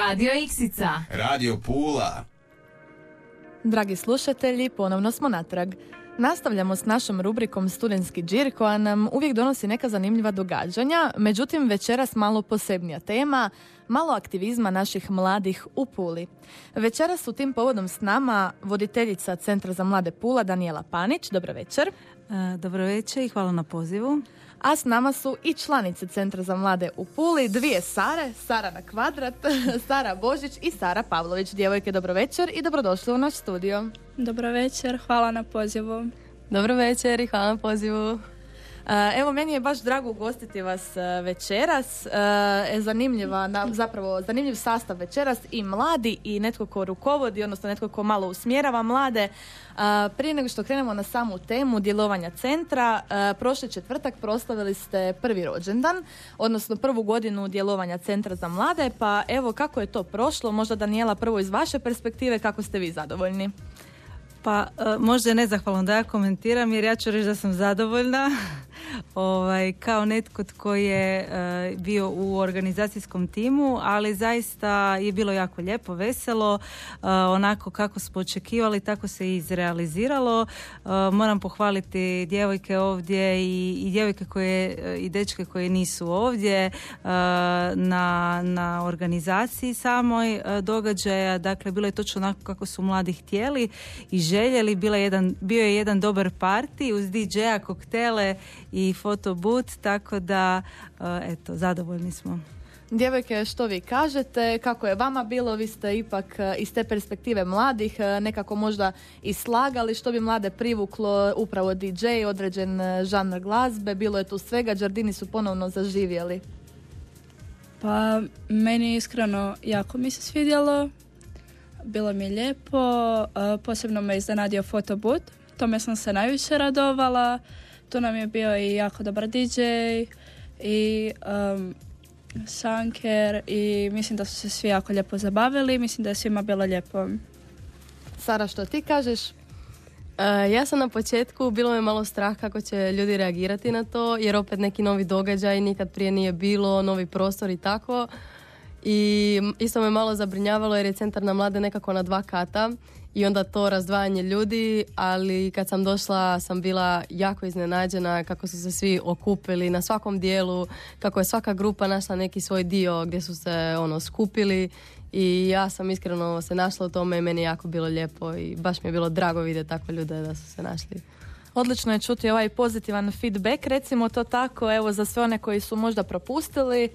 Radio Iksica. Radio Pula. Dragi slušatelji, ponovno smo natrag. Nastavljamo s našom rubrikom Studentski džir koja nam uvijek donosi neka zanimljiva događanja, međutim večeras malo posebnija tema, malo aktivizma naših mladih u Puli. Večeras su tim povodom s nama voditeljica Centra za mlade Pula Danijela Panić. Dobro večer. Dobro večer i hvala na pozivu. A s nama su i članice Centra za mlade u Puli, dvije Sare, Sara na kvadrat, Sara Božić i Sara Pavlović. Djevojke, dobro večer i dobrodošli u naš studio. Dobro večer, hvala na pozivu. Dobro večer i hvala na pozivu. Evo, meni je baš drago ugostiti vas večeras. Zanimljiv sastav večeras, i mladi i netko ko rukovodi, odnosno netko ko malo usmjerava mlade. Prije nego što krenemo na samu temu djelovanja centra, prošli četvrtak proslavili ste prvi rođendan, odnosno prvu godinu djelovanja Centra za mlade, pa evo kako je to prošlo, možda Danijela prvo iz vaše perspektive, kako ste vi zadovoljni? Pa možda je nezahvalno da ja komentiram, jer ja ću reći da sam zadovoljna kao netko tko je bio u organizacijskom timu, ali zaista je bilo jako lijepo, veselo, onako kako smo očekivali, tako se i izrealiziralo. Moram pohvaliti djevojke ovdje i djevojke i dečke koje nisu ovdje na organizaciji samoj događaja. Dakle, bilo je točno onako kako su mladi htjeli i željeli. Bio je jedan dobar party uz DJ-a, koktele i fotobut, tako da zadovoljni smo. Djevojke, što vi kažete? Kako je vama bilo? Vi ste ipak iz te perspektive mladih nekako možda i slagali što bi mlade privuklo, upravo DJ, određen žanr glazbe, bilo je tu svega, Đardini su ponovno zaživjeli. Pa meni iskreno jako mi se svidjelo, bilo mi je lijepo, posebno me iznenadio fotobut, tome sam se najviše radovala. Tu nam je bio i jako dobar DJ i šanker i mislim da su se svi jako lijepo zabavili. Mislim da je svima bilo lijepo. Sara, što ti kažeš? Ja sam na početku, bilo me malo strah kako će ljudi reagirati na to, jer opet neki novi događaj, nikad prije nije bilo, novi prostor i tako. I isto me malo zabrinjavalo jer je Centar na mlade nekako na 2 kata i onda to razdvajanje ljudi, ali kad sam došla sam bila jako iznenađena kako su se svi okupili na svakom dijelu, kako je svaka grupa našla neki svoj dio gdje su se skupili i ja sam iskreno se našla u tome i meni je jako bilo lijepo i baš mi je bilo drago vidjeti takve ljude da su se našli. Odlično je čuti ovaj pozitivan feedback, recimo to tako, evo za sve one koji su možda propustili.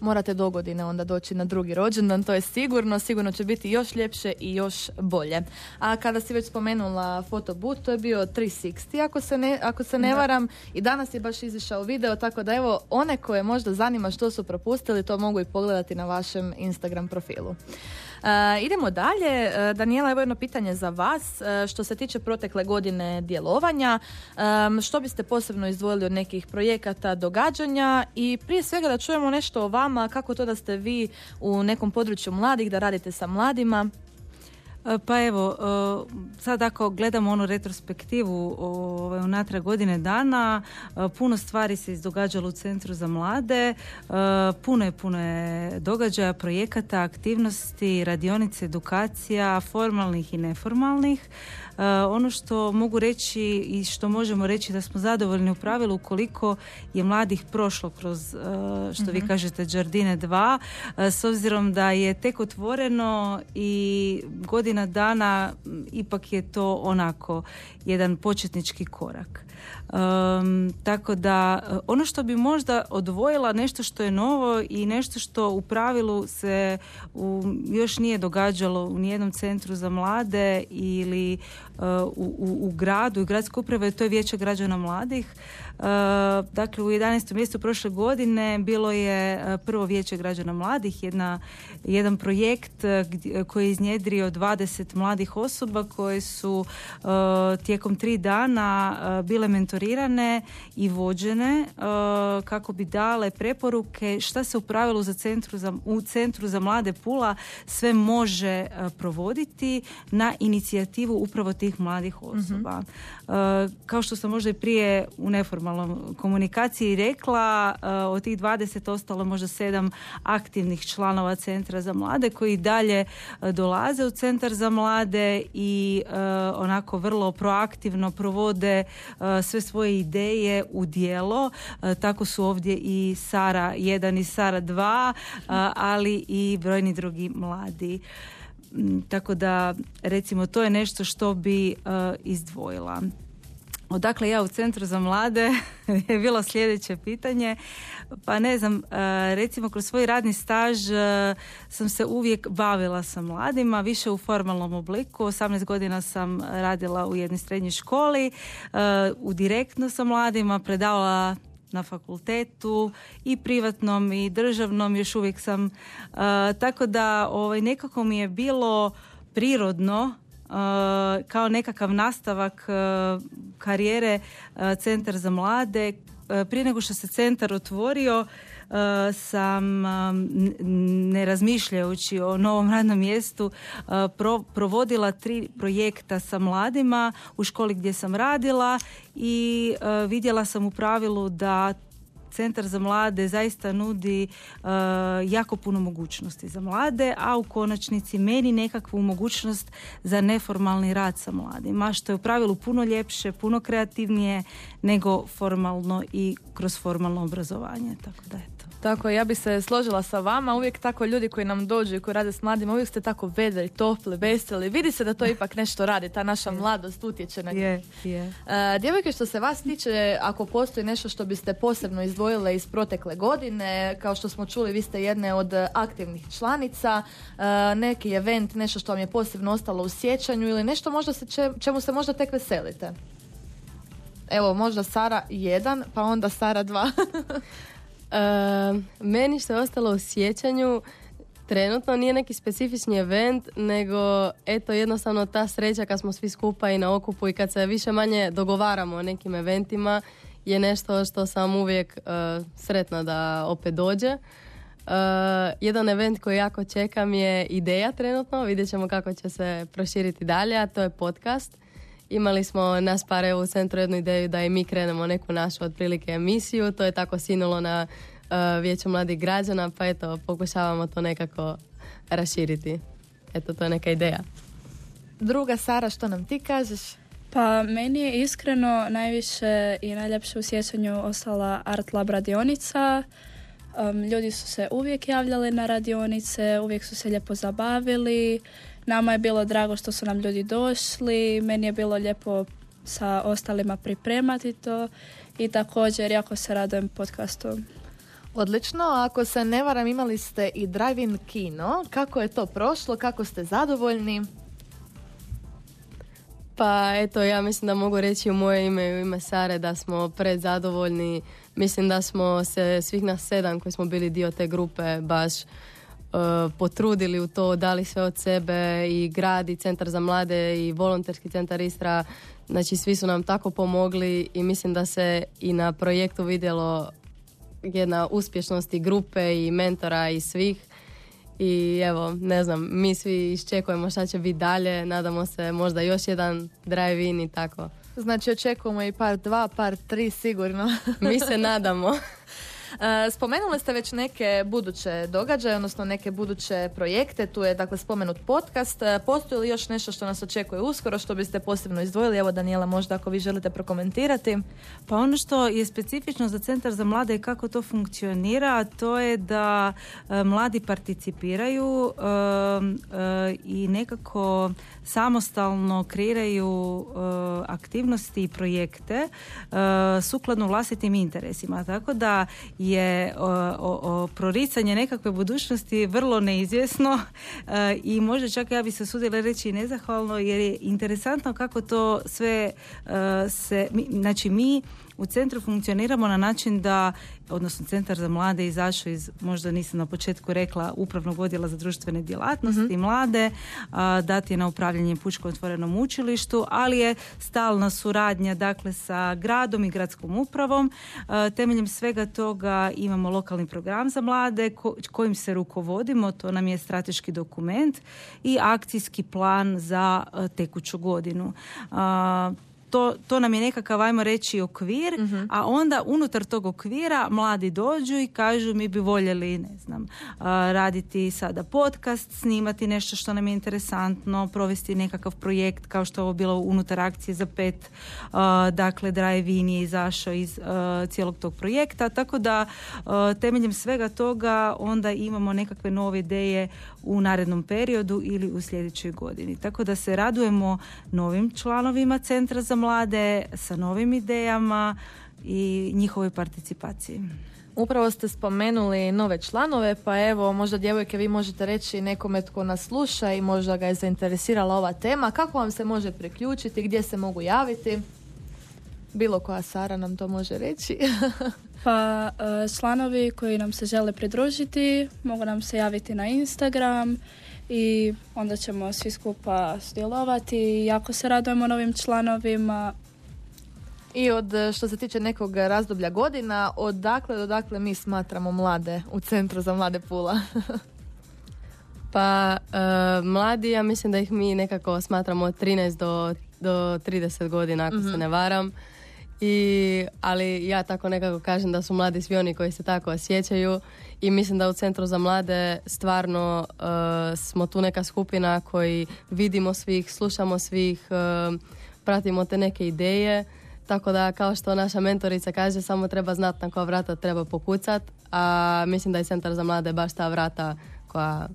Morate dogodine onda doći na drugi rođendan, to je sigurno će biti još ljepše i još bolje. A kada si već spomenula fotobut, to je bio 360 ako se ne varam, i danas je baš izišao video, tako da evo one koje možda zanima što su propustili, to mogu i pogledati na vašem Instagram profilu. Idemo dalje. Danijela, evo jedno pitanje za vas. Što se tiče protekle godine djelovanja, što biste posebno izdvojili od nekih projekata, događanja i prije svega da čujemo nešto o vama, kako to da ste vi u nekom području mladih, da radite sa mladima? Pa evo, sad ako gledamo onu retrospektivu unatrag godine dana, puno stvari se izdogađalo u Centru za mlade, puno je događaja, projekata, aktivnosti, radionice, edukacija, formalnih i neformalnih. Ono što mogu reći i što možemo reći da smo zadovoljni u pravilu ukoliko je mladih prošlo kroz, što vi kažete, Đardine 2, s obzirom da je tek otvoreno i godina dana, ipak je to onako jedan početnički korak. Tako da ono što bi možda odvojila, nešto što je novo i nešto što u pravilu se još nije događalo u nijednom centru za mlade ili u gradu i gradskoj upravi, to je Vijeće građana mladih. Dakle, u 11. mjesecu prošle godine bilo je prvo Vijeće građana mladih, jedan projekt koji je iznjedrio 2 20 mladih osoba koje su tijekom 3 dana bile mentorirane i vođene kako bi dale preporuke šta se u pravilu u Centru za mlade Pula sve može provoditi na inicijativu upravo tih mladih osoba. Kao što sam možda i prije u neformalnom komunikaciji rekla, od tih 20 ostalo možda 7 aktivnih članova Centra za mlade koji dalje dolaze u Centar za mlade i onako vrlo proaktivno provode sve svoje ideje u djelo. Tako su ovdje i Sara 1 i Sara 2, ali i brojni drugi mladi. Tako da, recimo, to je nešto što bi izdvojila. Odakle ja u Centru za mlade je bilo sljedeće pitanje. Pa ne znam, recimo kroz svoj radni staž sam se uvijek bavila sa mladima, više u formalnom obliku. 18 godina sam radila u jednoj srednjoj školi, u direktno sa mladima, predavala na fakultetu i privatnom i državnom, još uvijek sam. Tako da nekako mi je bilo prirodno kao nekakav nastavak karijere Centar za mlade. Prije nego što se centar otvorio sam, ne razmišljajući o novom radnom mjestu, provodila 3 projekta sa mladima u školi gdje sam radila i vidjela sam u pravilu da Centar za mlade zaista nudi jako puno mogućnosti za mlade, a u konačnici meni nekakvu mogućnost za neformalni rad sa mladima, što je u pravilu puno ljepše, puno kreativnije nego formalno i kroz formalno obrazovanje. Tako da eto. Tako, ja bi se složila sa vama. Uvijek tako ljudi koji nam dođu i koji rade s mladima, uvijek ste tako vedri, topli, veseli. Vidi se da to ipak nešto radi. Ta naša mladost utječe na njih. Djevojke, što se vas tiče, ako postoji nešto što biste posebno izdvojile iz protekle godine, kao što smo čuli, vi ste jedne od aktivnih članica, neki event, nešto što vam je posebno ostalo u sjećanju ili nešto možda čemu se možda tek veselite. Evo, možda Sara 1, pa onda Sara 2. Meni što je ostalo u sjećanju trenutno nije neki specifični event, nego eto jednostavno ta sreća kad smo svi skupa i na okupu i kad se više manje dogovaramo o nekim eventima je nešto što sam uvijek sretna da opet dođe. Jedan event koji jako čekam je Ideja trenutno, vidjet ćemo kako će se proširiti dalje, a to je podcast. Imali smo nas par u centru jednu ideju da i mi krenemo neku našu otprilike emisiju, to je tako sinulo na Vijeću mladih građana, pa eto, pokušavamo to nekako raširiti. Eto, to je neka ideja. Druga, Sara, što nam ti kažeš? Pa meni je iskreno najviše i najljepše u sjećanju ostala Art Lab radionica. Ljudi su se uvijek javljali na radionice, uvijek su se lijepo zabavili. Nama je bilo drago što su nam ljudi došli, meni je bilo lijepo sa ostalima pripremati to i također jako se radujem podcastu. Odlično, ako se ne varam imali ste i drive-in kino, kako je to prošlo, kako ste zadovoljni? Pa eto, ja mislim da mogu reći u moje ime i u ime Sare da smo predzadovoljni. Mislim da smo se svih nas 7 koji smo bili dio te grupe baš potrudili u to, dali sve od sebe i grad i Centar za mlade i volonterski centar Istra, znači svi su nam tako pomogli i mislim da se i na projektu vidjelo jedna uspješnost i grupe i mentora i svih i evo, ne znam, mi svi iščekujemo šta će biti dalje, nadamo se možda još jedan drive-in i tako. Znači očekujemo i part 2, part 3 sigurno. Mi se nadamo. Spomenuli ste već neke buduće događaje, odnosno neke buduće projekte, tu je dakle spomenut podcast. Postoji li još nešto što nas očekuje uskoro, što biste posebno izdvojili? Evo, Daniela, možda ako vi želite prokomentirati. Pa ono što je specifično za Centar za mlade i kako to funkcionira, to je da mladi participiraju i nekako samostalno kreiraju aktivnosti i projekte sukladno vlastitim interesima. Tako da je proricanje nekakve budućnosti vrlo neizvjesno i možda čak ja bi se usudila reći nezahvalno, jer je interesantno kako to sve znači mi u centru funkcioniramo na način da, odnosno Centar za mlade izašao iz, možda nisam na početku rekla, upravnog odjela za društvene djelatnosti, mlade, dati je na upravljanje Pučkom otvorenom učilištu, ali je stalna suradnja dakle sa gradom i gradskom upravom. Temeljem svega toga imamo lokalni program za mlade kojim se rukovodimo, to nam je strateški dokument i akcijski plan za tekuću godinu. To nam je nekakav, ajmo reći, okvir, a onda unutar tog okvira mladi dođu i kažu mi bi voljeli, ne znam, raditi sada podcast, snimati nešto što nam je interesantno, provesti nekakav projekt kao što je ovo bilo unutar akcije za 5, dakle Drive-in je izašao iz cijelog tog projekta, tako da temeljem svega toga onda imamo nekakve nove ideje u narednom periodu ili u sljedećoj godini. Tako da se radujemo novim članovima Centra za mlade sa novim idejama i njihovoj participaciji. Upravo ste spomenuli nove članove, pa evo, možda djevojke vi možete reći nekome tko nas sluša i možda ga je zainteresirala ova tema, kako vam se može priključiti, gdje se mogu javiti? Bilo koja Sara nam to može reći. Pa članovi koji nam se žele pridružiti mogu nam se javiti na Instagram i onda ćemo svi skupa sudjelovati i jako se radujemo novim članovima. I što se tiče nekog razdoblja godina, odakle do dakle mi smatramo mlade u Centru za mlade Pula? Pa mladi, ja mislim da ih mi nekako smatramo od 13 do 30 godina, ako se ne varam. Ali ja tako nekako kažem da su mladi svi oni koji se tako osjećaju i mislim da u Centru za mlade stvarno smo tu neka skupina koji vidimo svih, slušamo svih, pratimo te neke ideje, tako da kao što naša mentorica kaže, samo treba znati na koja vrata treba pokucat, a mislim da je Centar za mlade baš ta vrata koja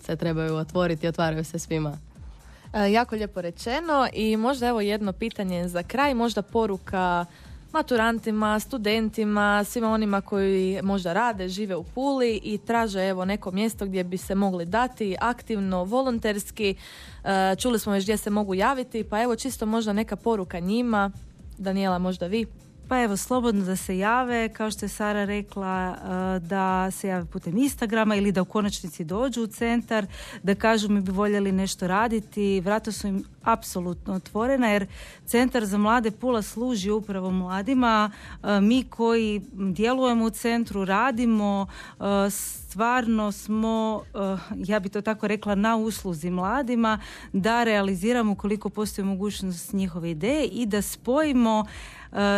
se trebaju otvoriti i otvaraju se svima. Jako lijepo rečeno i možda evo jedno pitanje za kraj, možda poruka maturantima, studentima, svima onima koji možda rade, žive u Puli i traže evo neko mjesto gdje bi se mogli dati aktivno, volonterski. Čuli smo već gdje se mogu javiti, pa evo čisto možda neka poruka njima. Daniela, možda vi? Pa evo, slobodno da se jave, kao što je Sara rekla, da se jave putem Instagrama ili da u konačnici dođu u centar, da kažu mi bi voljeli nešto raditi. Vrata su im apsolutno otvorena jer Centar za mlade Pula služi upravo mladima. Mi koji djelujemo u centru, radimo, stvarno smo, ja bi to tako rekla, na usluzi mladima da realiziramo koliko postoji mogućnost njihove ideje i da spojimo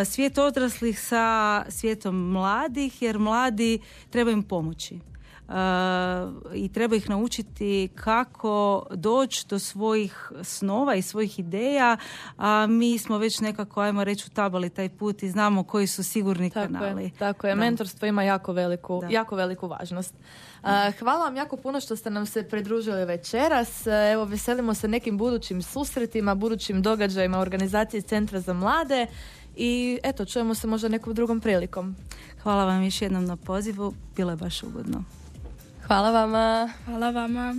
svijet odraslih sa svijetom mladih, jer mladi treba im pomoći. I treba ih naučiti kako doći do svojih snova i svojih ideja, a mi smo već nekako, ajmo reći, utabali taj put i znamo koji su sigurni kanali. Tako je. Mentorstvo ima jako veliku važnost. Hvala vam jako puno što ste nam se pridružili večeras. Evo, veselimo se nekim budućim susretima, budućim događajima organizacije Centra za mlade i eto, čujemo se možda nekom drugom prilikom. Hvala vam još jednom na pozivu, bilo je baš ugodno. Hvala vama. Hvala vama.